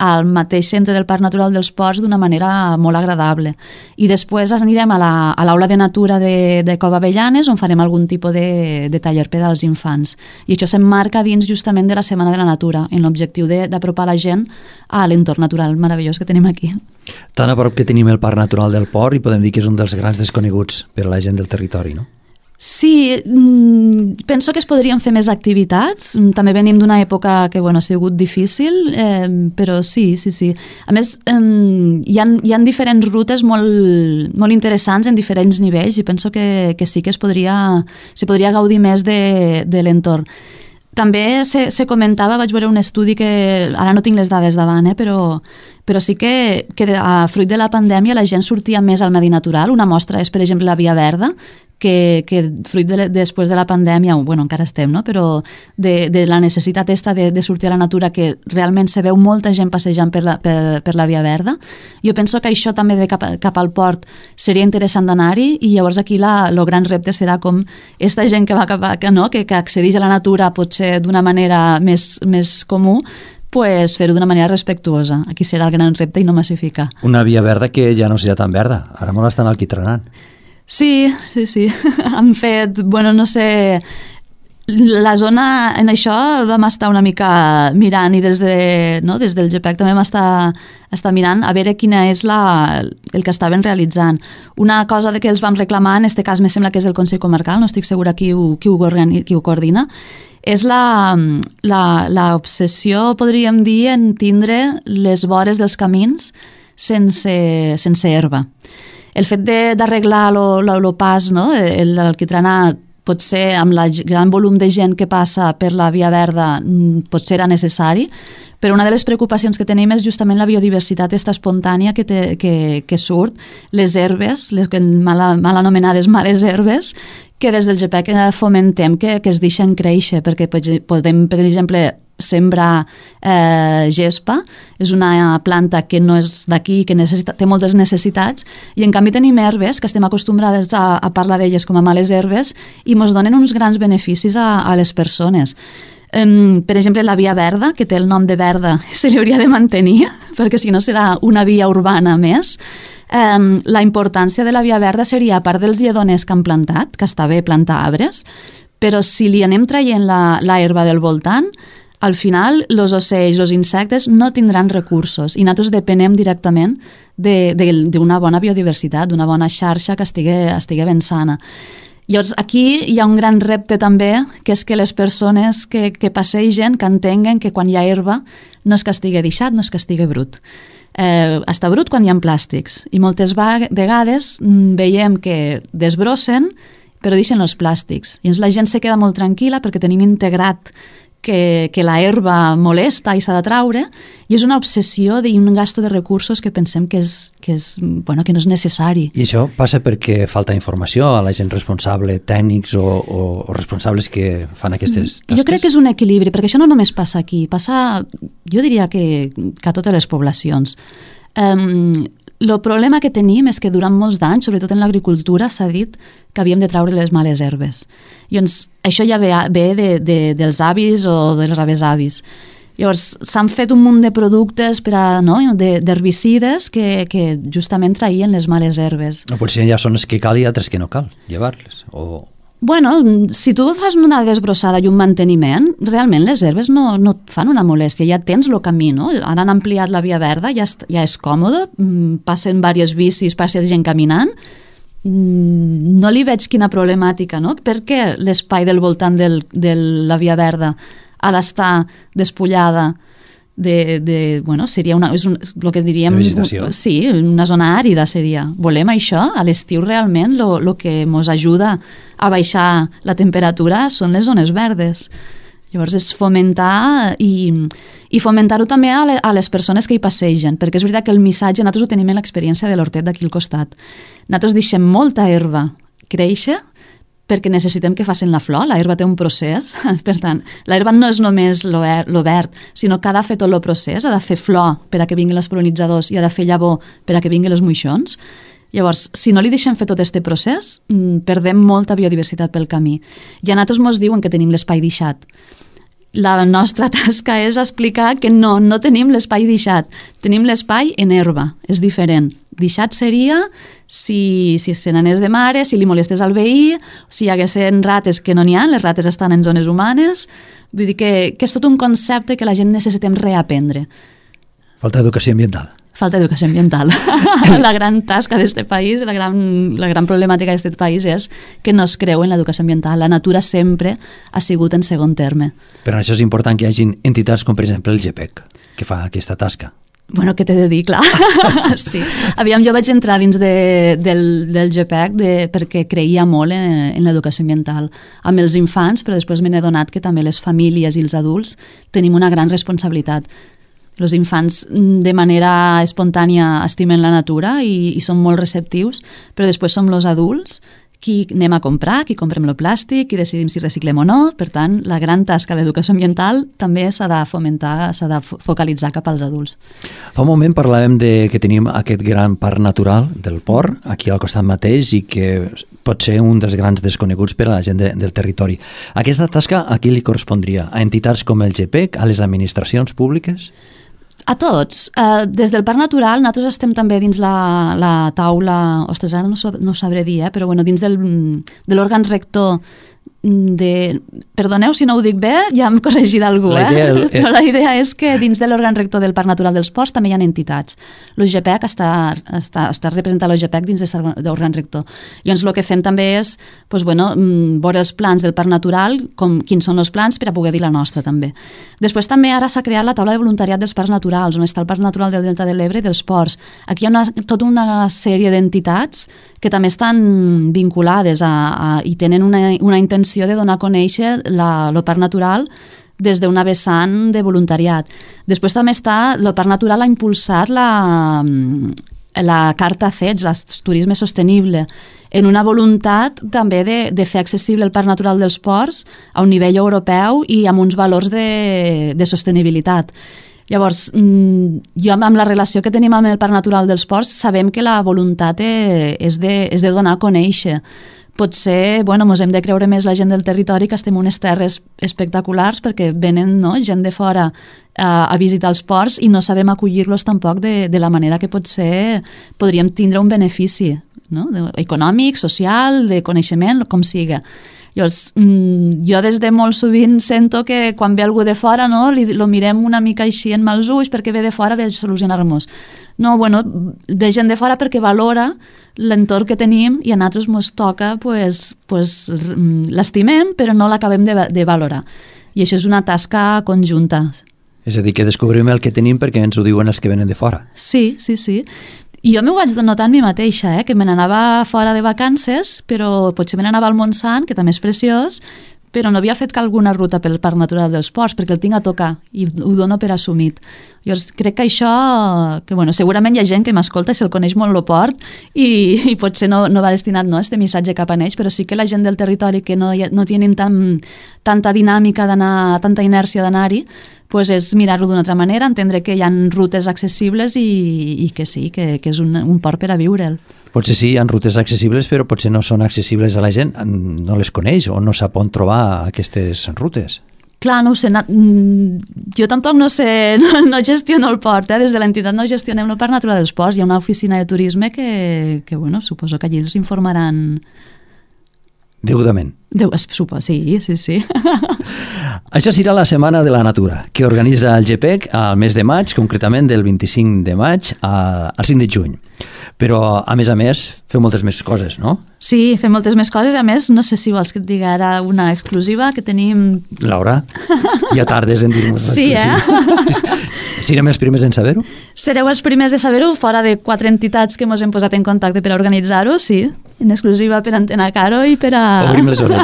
al mateix centre del Parc Natural dels Ports d'una manera molt agradable. I després anirem a l'aula de natura de Cova Avellanes, on farem algun tipus de taller per als infants. I això s'emmarca dins justament de la Setmana de la Natura, en l'objectiu d'apropar la gent a l'entorn natural meravellós que tenim aquí. Tan a prop que tenim el Parc Natural del Port i podem dir que és un dels grans desconeguts per a la gent del territori, no? Sí, penso que es podrien fer més activitats. També venim d'una època que ha sigut difícil, però sí. A més, hi ha diferents rutes molt interessants en diferents nivells i penso que sí que s'hi podria gaudir més de l'entorn. També se comentava, vaig veure un estudi que ara no tinc les dades davant, però sí que a fruit de la pandèmia la gent sortia més al medi natural. Una mostra és, per exemple, la Via Verda, que fruit després de la pandèmia, bueno, encara estem, no? Però de la necessitat de sortir a la natura, que realment se veu molta gent passejant per la Via Verda. Jo penso que això també cap al port seria interessant d'anar-hi, i llavors aquí el gran repte serà com aquesta gent que va que accedeix a la natura potser d'una manera més comú, pues fer-ho d'una manera respectuosa. Aquí serà el gran repte i no massificar. Una Via Verda que ja no serà tan verda, ara molt estan alquitranant. Sí. Han fet, bueno, no sé, la zona, en això vam estar una mica mirant, i des del GPEC també vam estar mirant a veure quina és el que estaven realitzant. Una cosa que els vam reclamar, en aquest cas me sembla que és el Consell Comarcal, no estic segura qui ho coordina, és l'obsessió, podríem dir, en tindre les vores dels camins sense herba. El fet d'arreglar el pas, no? L'alquitranar, potser amb el gran volum de gent que passa per la Via Verda potser era necessari, però una de les preocupacions que tenim és justament la biodiversitat espontània que surt, les herbes, les mal anomenades males herbes, que des del GPEC fomentem que es deixen créixer, perquè podem, per exemple, sembrar gespa. És una planta que no és d'aquí, que té moltes necessitats, i en canvi tenim herbes que estem acostumbrades a parlar d'elles com a males herbes i ens donen uns grans beneficis a les persones. Per exemple, la Via Verda, que té el nom de verda, se li hauria de mantenir, perquè si no serà una via urbana més. La importància de la Via Verda seria, a part dels lledones que han plantat, que està bé plantar arbres, però si li anem traient la herba del voltant, al final els ocells, els insectes no tindran recursos, i nosaltres depenem directament d'una bona biodiversitat, d'una bona xarxa que estigui ben sana. Llavors, aquí hi ha un gran repte també, que és que les persones que passegen, que entenguen que quan hi ha herba no és que estigui deixat, no és que estigui brut. Està brut quan hi ha plàstics, i moltes vegades veiem que desbrossen però deixen els plàstics. I la gent se queda molt tranquil·la perquè tenim integrat que la herba molesta i s'ha de traure, i és una obsessió i un gasto de recursos que pensem que no és necessari. I això passa perquè falta informació a la gent responsable, tècnics o responsables que fan aquestes tasques? Jo crec que és un equilibri, perquè això no només passa aquí, passa, jo diria que a totes les poblacions. El problema que tenim és que durant molts d'anys, sobretot en l'agricultura, s'ha dit que havíem de traure les males herbes. Llavors, això ja ve dels avis o dels avis. Llavors, s'han fet un munt de productes d'herbicides que justament traïen les males herbes. No, potser hi ha zones que cal i altres que no cal llevar-les, o... Bueno, si tu fas una desbrossada i un manteniment, realment les herbes no et fan una molèstia, ja tens el camí, no? Ara han ampliat la Via Verda, ja és còmode, passen diversos bicis, passa gent caminant, no li veig quina problemàtica, no? Per què l'espai del voltant de la Via Verda ha d'estar despullada seria el que diríem... Sí, una zona àrida seria. Volem això? A l'estiu realment el que ens ajuda a baixar la temperatura són les zones verdes. Llavors és fomentar i fomentar-ho també a les persones que hi passegen, perquè és veritat que el missatge, nosaltres ho tenim en l'experiència de l'hortet d'aquí al costat. Nosaltres deixem molta herba créixer perquè necessitem que facin la flor. La herba té un procés, per tant, la herba no és només lo verd, sinó que ha de fer tot el procés, ha de fer flor per a que vinguin els pol·linitzadors i ha de fer llavor per a que vinguin els moixons. Llavors, si no li deixem fer tot aquest procés, perdem molta biodiversitat pel camí. I a nosaltres ens diuen que tenim l'espai deixat. La nostra tasca és explicar que no tenim l'espai deixat, tenim l'espai en herba, és diferent. Deixat seria si se n'anés de mare, si li molestés al veí, si hi haguessin rates, que no n'hi ha, les rates estan en zones humanes. Vull dir que és tot un concepte que la gent necessitem reaprendre. Falta educació ambiental. Falta educació ambiental. La gran tasca d'aquest país, la gran problemàtica d'aquest país és que no es creu en l'educació ambiental. La natura sempre ha sigut en segon terme. Per això és important que hi hagi entitats com, per exemple, el GPEC, que fa aquesta tasca. Bueno, què t'he de dir, clar. Sí. Aviam, jo vaig entrar dins del GPEC perquè creia molt en l'educació ambiental amb els infants, però després me n'he donat que també les famílies i els adults tenim una gran responsabilitat. Els infants de manera espontània estimen la natura i són molt receptius, però després som els adults qui anem a comprar, qui comprem el plàstic, qui decidim si reciclem o no. Per tant, la gran tasca de l'educació ambiental també s'ha de fomentar, s'ha de focalitzar cap als adults. Fa un moment parlàvem que tenim aquest gran parc natural del port, aquí al costat mateix, i que pot ser un dels grans desconeguts per a la gent del territori. Aquesta tasca a qui li correspondria? A entitats com el GPEC, a les administracions públiques? A tots. Des del Parc Natural nosaltres estem també dins la taula, ostres, ara no sabré dir, però bueno, dins de l'òrgan rector perdoneu si no ho dic bé, ja em corregirà algú, però la idea és que dins de l'òrgan rector del Parc Natural dels Ports també hi ha entitats. L'UGPEC està representat l'UGPEC dins de l'òrgan rector. Llavors el que fem també és veure els plans del Parc Natural, quins són els plans per a poder dir la nostra també. Després també ara s'ha creat la taula de voluntariat dels parcs naturals, on està el Parc Natural del Delta de l'Ebre i dels ports. Aquí hi ha tota una sèrie d'entitats que també estan vinculades i tenen una intenció de donar a conèixer el parc natural des d'una vessant de voluntariat. Després també el parc natural ha impulsat la carta CEDS, el turisme sostenible, en una voluntat també de fer accessible el parc natural dels ports a un nivell europeu i amb uns valors de sostenibilitat. Llavors, jo amb la relació que tenim amb el Parc Natural dels Ports sabem que la voluntat és de donar a conèixer. Potser, ens hem de creure més la gent del territori, que estem en unes terres espectaculars perquè venen gent de fora a visitar els ports i no sabem acollir-los tampoc de la manera que potser podríem tindre un benefici, no? Econòmic, social, de coneixement, com siga. Llavors, jo des de molt sovint sento que quan ve algú de fora, no, lo mirem una mica així en mals ulls perquè ve de fora, ve a solucionar-nos. No, ve gent de fora perquè valora l'entorn que tenim i a nosaltres ens toca, l'estimem, però no l'acabem de valorar. I això és una tasca conjunta. És a dir, que descobrim el que tenim perquè ens ho diuen els que venen de fora. Sí. I jo m'ho vaig notar en mi mateixa, que me n'anava fora de vacances, però potser me n'anava al Montsant, que també és preciós, però no havia fet alguna ruta pel Parc Natural dels Ports, perquè el tinc a tocar i ho dono per assumit. Llavors, crec que això, segurament hi ha gent que m'escolta i se'l coneix molt el port i potser no va destinat este missatge cap a ells, però sí que la gent del territori que no tenim tanta dinàmica d'anar, tanta inèrcia d'anar-hi, és mirar-ho d'una altra manera, entendre que hi ha rutes accessibles i que sí, que és un port per a viure'l. Potser sí, hi ha rutes accessibles, però potser no són accessibles a la gent, no les coneix o no sap on trobar aquestes rutes. Clar, no ho sé, jo tampoc no sé, no gestiono el port, des de l'entitat no gestionem el Parc Natural dels Ports, hi ha una oficina de turisme que suposo que allí els informaran... Degudament. Suposo, sí. Això serà la Setmana de la Natura, que organitza el GPEC al mes de maig, concretament del 25 de maig al 5 de juny. Però, a més, feu moltes més coses, no? Sí, fem moltes més coses. A més, no sé si vols que et digui ara una exclusiva que tenim... Laura, ja tardes en dir-nos l'exclusiva. Sí, Serem els primers en saber-ho? Sereu els primers de saber-ho, fora de 4 entitats que ens hem posat en contacte per a organitzar-ho, sí. En exclusiva per Antena Caro i per a... Obrim les orelles.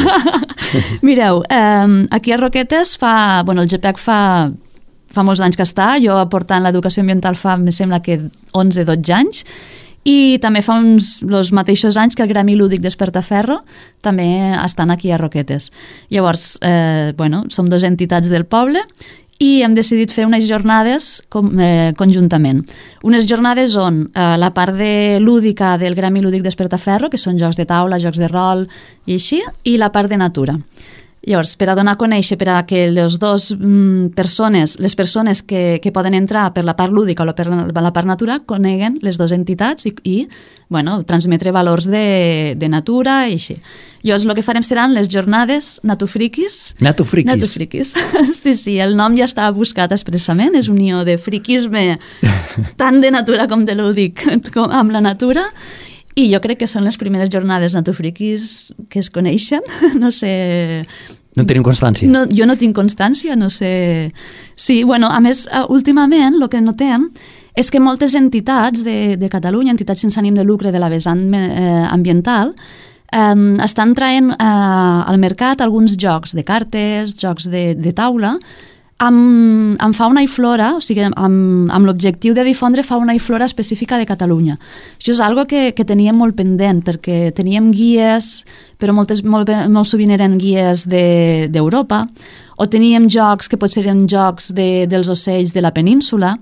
Mireu, aquí a Roquetes el GPEC fa molts anys que està, jo aportant l'educació ambiental me sembla que 11-12 anys, i també fa els mateixos anys que el Gremi Lúdic Despertaferro també estan aquí a Roquetes. Llavors, som 2 entitats del poble i hem decidit fer unes jornades conjuntament. Unes jornades on la part lúdica del Gremi Lúdic Despertaferro, que són jocs de taula, jocs de rol i així, i la part de natura. Llavors, per a donar a conèixer, per a que les persones que poden entrar per la part lúdica o per la part natura coneguen les 2 entitats i transmetre valors de natura i així. Llavors, el que farem seran les jornades Natufriquis. Natufriquis. Sí, el nom ja està buscat expressament, és unió de friquisme tant de natura com de lúdic amb la natura. I jo crec que són les primeres jornades natufriquis que es coneixen, no sé... No tenim constància. No, jo no tinc constància, no sé... Sí, a més, últimament el que notem és que moltes entitats de Catalunya, entitats sense ànim de lucre de la vessant ambiental, estan traient al mercat alguns jocs de cartes, jocs de taula, amb fauna i flora, o sigui, amb l'objectiu de difondre fauna i flora específica de Catalunya. Això és algo que teníem molt pendent, perquè teníem guies, però molt sovint eren guies d'Europa, o teníem jocs que potser eren jocs dels ocells de la península.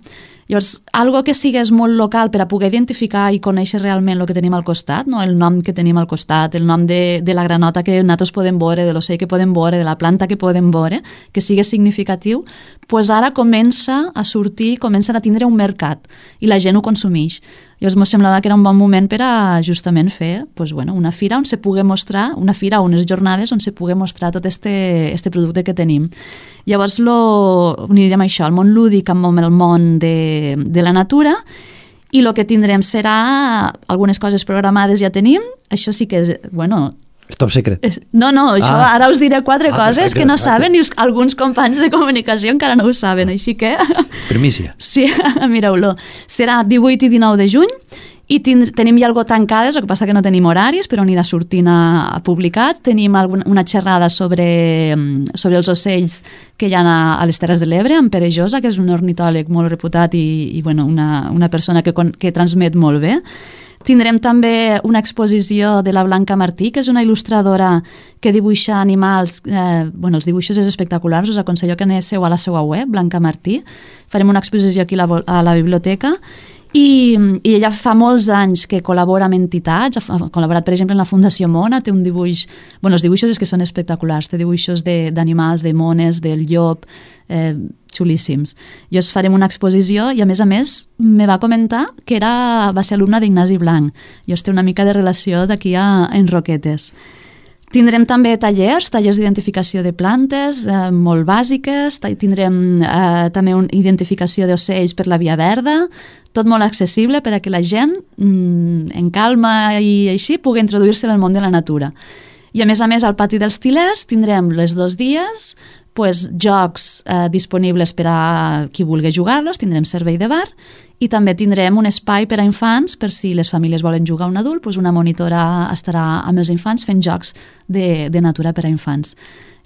Llavors, algo que sigués molt local per a poder identificar i conèixer realment el que tenim al costat, no? El nom que tenim al costat, el nom de la granota que nosaltres podem veure, de l'ocell que podem veure, de la planta que podem veure, que sigui significatiu, doncs ara comença a sortir, comencen a tindre un mercat i la gent ho consumeix. Llavors m'ho semblava que era un bon moment per a justament fer una fira on se pugui mostrar, una fira o unes jornades on se pugui mostrar tot este producte que tenim. Llavors uniríem això, el món lúdic amb el món de la natura, i el que tindrem serà algunes coses programades ja tenim, això sí que és, És top secret. No, això ara us diré 4 coses que no saben i alguns companys de comunicació encara no ho saben, així que... Primícia. Sí, mireu-lo. Serà 18 i 19 de juny i tenim ja algo tancades, el que passa que no tenim horaris, però anirà sortint a publicat. Tenim una xerrada sobre els ocells que hi ha a les Terres de l'Ebre, amb Pere Josa, que és un ornitòleg molt reputat i una persona que transmet molt bé. Tindrem també una exposició de la Blanca Martí, que és una il·lustradora que dibuixa animals. Els dibuixos és espectaculars, us aconsello que aneu a la seva web, Blanca Martí. Farem una exposició aquí a la biblioteca. I ella fa molts anys que col·labora amb entitats, ha col·laborat, per exemple, en la Fundació Mona, té un dibuix... els dibuixos és que són espectaculars, té dibuixos d'animals, de mones, del llop, xulíssims. Llavors farem una exposició i, a més, me va comentar que va ser alumna d'Ignasi Blanc. Llavors té una mica de relació d'aquí en Roquetes. Tindrem també tallers d'identificació de plantes, molt bàsiques, tindrem també una identificació d'ocells per la Via Verda, tot molt accessible per a que la gent, en calma i així, pugui introduir-se en el món de la natura. I a més, al pati dels Tilers tindrem les 2 dies jocs disponibles per a qui vulgui jugar-los, tindrem servei de bar i també tindrem un espai per a infants per si les famílies volen jugar a un adult, una monitora estarà amb els infants fent jocs de natura per a infants.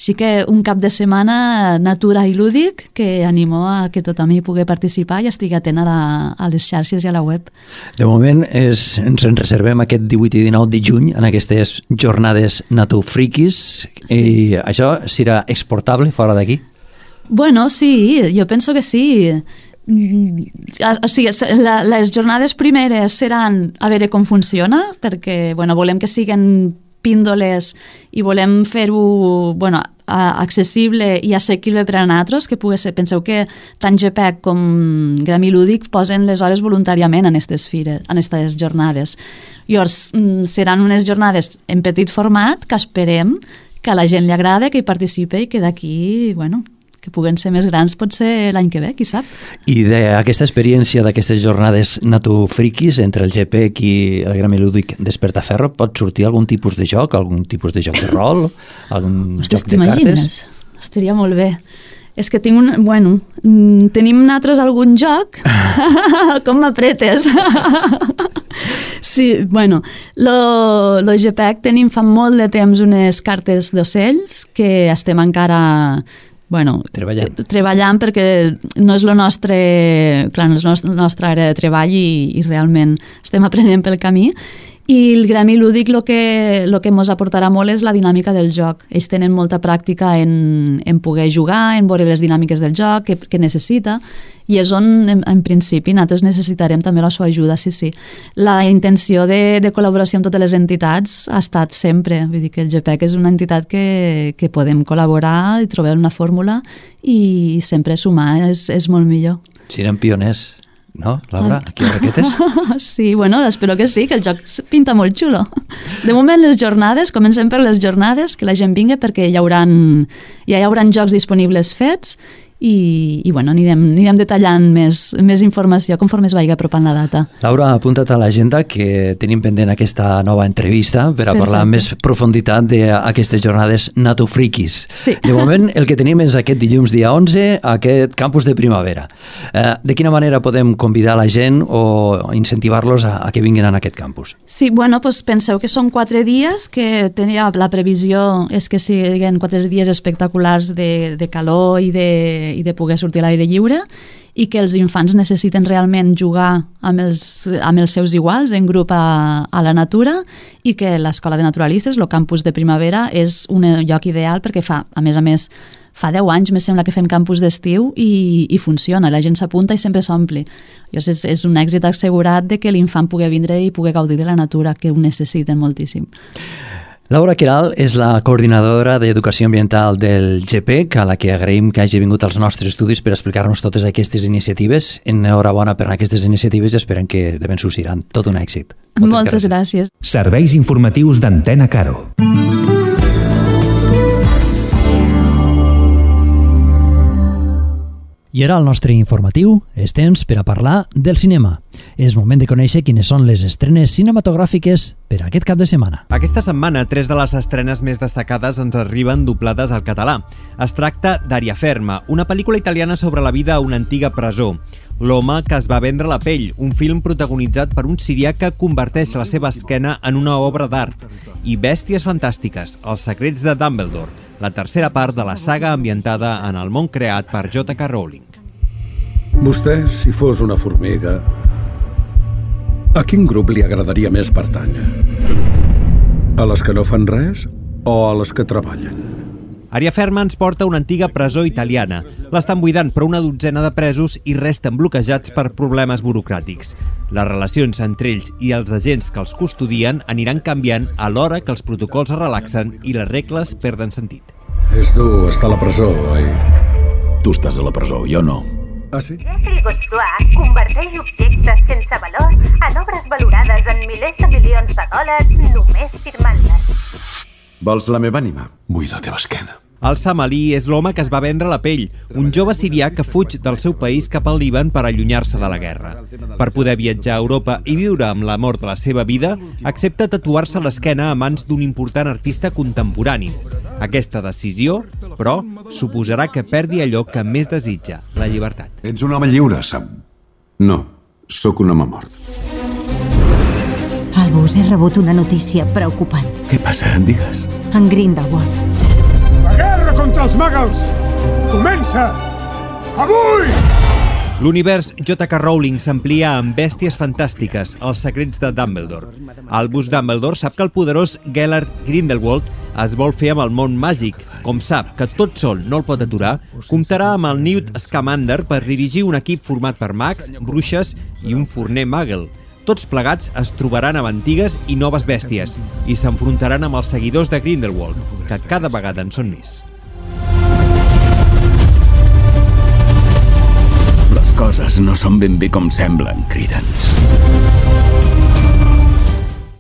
Així que un cap de setmana natura i lúdic que animo a que tothom hi pugui participar i estigui atent a les xarxes i a la web. De moment ens en reservem aquest 18 i 19 de juny en aquestes jornades natufriquis i això serà exportable fora d'aquí? Bueno, sí, jo penso que sí. O sigui, les jornades primeres seran a veure com funciona, perquè volem que siguin píndoles i volem fer-ho accessible i assequible per a nosaltres, que pugui ser, penseu que tant GPEC com Gremi Lúdic posen les hores voluntàriament en aquestes fires, en aquestes jornades. Llavors, seran unes jornades en petit format que esperem que a la gent li agrada, que hi participi i que d'aquí, que puguen ser més grans potser l'any que ve, qui sap. I d'aquesta experiència, d'aquestes jornades natufriquis entre el GPEC i el Gremi Lúdic Despertaferro, pot sortir algun tipus de joc, algun tipus de joc de rol, algun joc de cartes? Estaria molt bé. És que tinc tenim nosaltres algun joc? Com m'apretes? Sí, lo GPEC tenim fa molt de temps unes cartes d'ocells que estem encara... treballant perquè no és la nostra àrea de treball i realment estem aprenent pel camí. I el Gremi Lúdic el que ens aportarà molt és la dinàmica del joc. Ells tenen molta pràctica en poder jugar, en veure les dinàmiques del joc que necessita, i és on, en principi, nosaltres necessitarem també la seva ajuda, sí. La intenció de col·laboració amb totes les entitats ha estat sempre. Vull dir que el GPEC és una entitat que podem col·laborar i trobar una fórmula i sempre sumar és molt millor. Serem pioners. No, Laura, aquí a Roquetes? Sí, espero que sí, que el joc pinta molt xulo. De moment les jornades, comencem per les jornades, que la gent vingui perquè ja hi hauran jocs disponibles fets i bueno, anirem detallant més informació conforme es vagi apropant la data. Laura, apunta't a l'agenda que tenim pendent aquesta nova entrevista per a parlar amb més profunditat d'aquestes jornades natofriquis. Sí. De moment, el que tenim és aquest dilluns dia 11, aquest campus de primavera. De quina manera podem convidar la gent o incentivar-los a que vinguin a aquest campus? Sí, bueno, doncs penseu que són 4 dies, que tenia la previsió és que siguin 4 dies espectaculars de calor i de poder sortir a l'aire lliure, i que els infants necessiten realment jugar amb els seus iguals en grup a la natura, i que l'Escola de Naturalistes, el campus de primavera, és un lloc ideal perquè fa 10 anys, me sembla que fem campus d'estiu i funciona, la gent s'apunta i sempre s'ompli. És un èxit assegurat de que l'infant pugui vindre i pugui gaudir de la natura, que ho necessiten moltíssim. Laura Queralt és la coordinadora d'Educació Ambiental del GPEC, a la que agraïm que hagi vingut als nostres estudis per explicar-nos totes aquestes iniciatives. Enhorabona per aquestes iniciatives i esperem que de ben sortiran tot un èxit. Moltes gràcies. Serveis informatius d'Antena Caro. I ara el nostre informatiu és temps per a parlar del cinema. És moment de conèixer quines són les estrenes cinematogràfiques per a aquest cap de setmana. Aquesta setmana, 3 de les estrenes més destacades ens arriben doblades al català. Es tracta d'Ariaferma, una pel·lícula italiana sobre la vida a una antiga presó. L'home que es va vendre la pell, un film protagonitzat per un sirià que converteix la seva esquena en una obra d'art. I Bèsties fantàstiques, els secrets de Dumbledore, la tercera part de la saga ambientada en el món creat per J.K. Rowling. Vostè, si fos una formiga, a quin grup li agradaria més pertànyer? A les que no fan res o a les que treballen? Ariaferma ens porta a una antiga presó italiana. L'estan buidant per una dotzena de presos i resten bloquejats per problemes burocràtics. Les relacions entre ells i els agents que els custodien aniran canviant alhora que els protocols es relaxen i les regles perden sentit. És dur estar a la presó, oi? Tu estàs a la presó, jo no. Ah, sí? Jeffrey Godsoir converteix objectes sense valor en obres valorades en milers de milions de dòlars només firmant-les. Vols la meva ànima? Vull la teva esquena. El Samalí és l'home que es va vendre la pell, un jove sirià que fuig del seu país cap al Líban per allunyar-se de la guerra. Per poder viatjar a Europa i viure amb l'amor de la seva vida, accepta tatuar-se l'esquena a mans d'un important artista contemporani. Aquesta decisió, però, suposarà que perdi allò que més desitja, la llibertat. Ets un home lliure, Sam. No, sóc un home mort. Albus, he rebut una notícia preocupant. Què passa? Digues. En Grindelwald. La guerra contra els Muggles comença avui! L'univers J.K. Rowling s'amplia amb Bèsties fantàstiques, els secrets de Dumbledore. Albus Dumbledore sap que el poderós Gellert Grindelwald es vol fer amb el món màgic. Com sap que tot sol no el pot aturar, comptarà amb el Newt Scamander per dirigir un equip format per mags, bruixes i un forner muggle. Tots plegats es trobaran amb antigues i noves bèsties i s'enfrontaran amb els seguidors de Grindelwald, que cada vegada en són més. Les coses no són ben bé com semblen, Credence.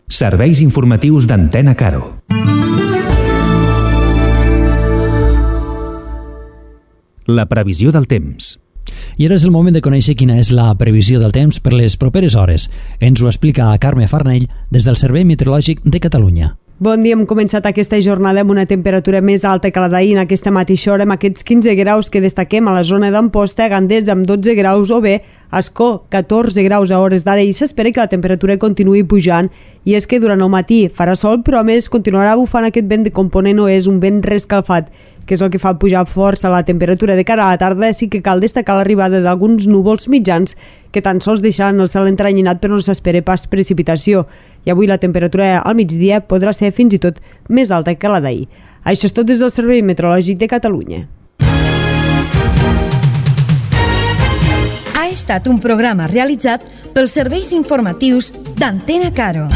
Serveis informatius d'Antena Caro. La previsió del temps. I ara és el moment de conèixer quina és la previsió del temps per les properes hores. Ens ho explica Carme Farnell des del Servei Meteorològic de Catalunya. Bon dia, hem començat aquesta jornada amb una temperatura més alta que la d'ahir en aquesta mateixa hora, amb aquests 15 graus que destaquem a la zona d'Amposta, Gandés amb 12 graus o bé Ascó, 14 graus a hores d'ara, i s'espera que la temperatura continuï pujant. I és que durant el matí farà sol, però a més continuarà bufant aquest vent de component oest, un vent rescalfat, que és el que fa pujar força la temperatura. De cara a la tarda sí que cal destacar l'arribada d'alguns núvols mitjans que tan sols deixaran el cel entranyinat, però no s'espera pas precipitació. I avui la temperatura al migdia podrà ser fins i tot més alta que la d'ahir. Això és tot des del Servei Meteorològic de Catalunya. Ha estat un programa realitzat pels serveis informatius d'Antena Caro.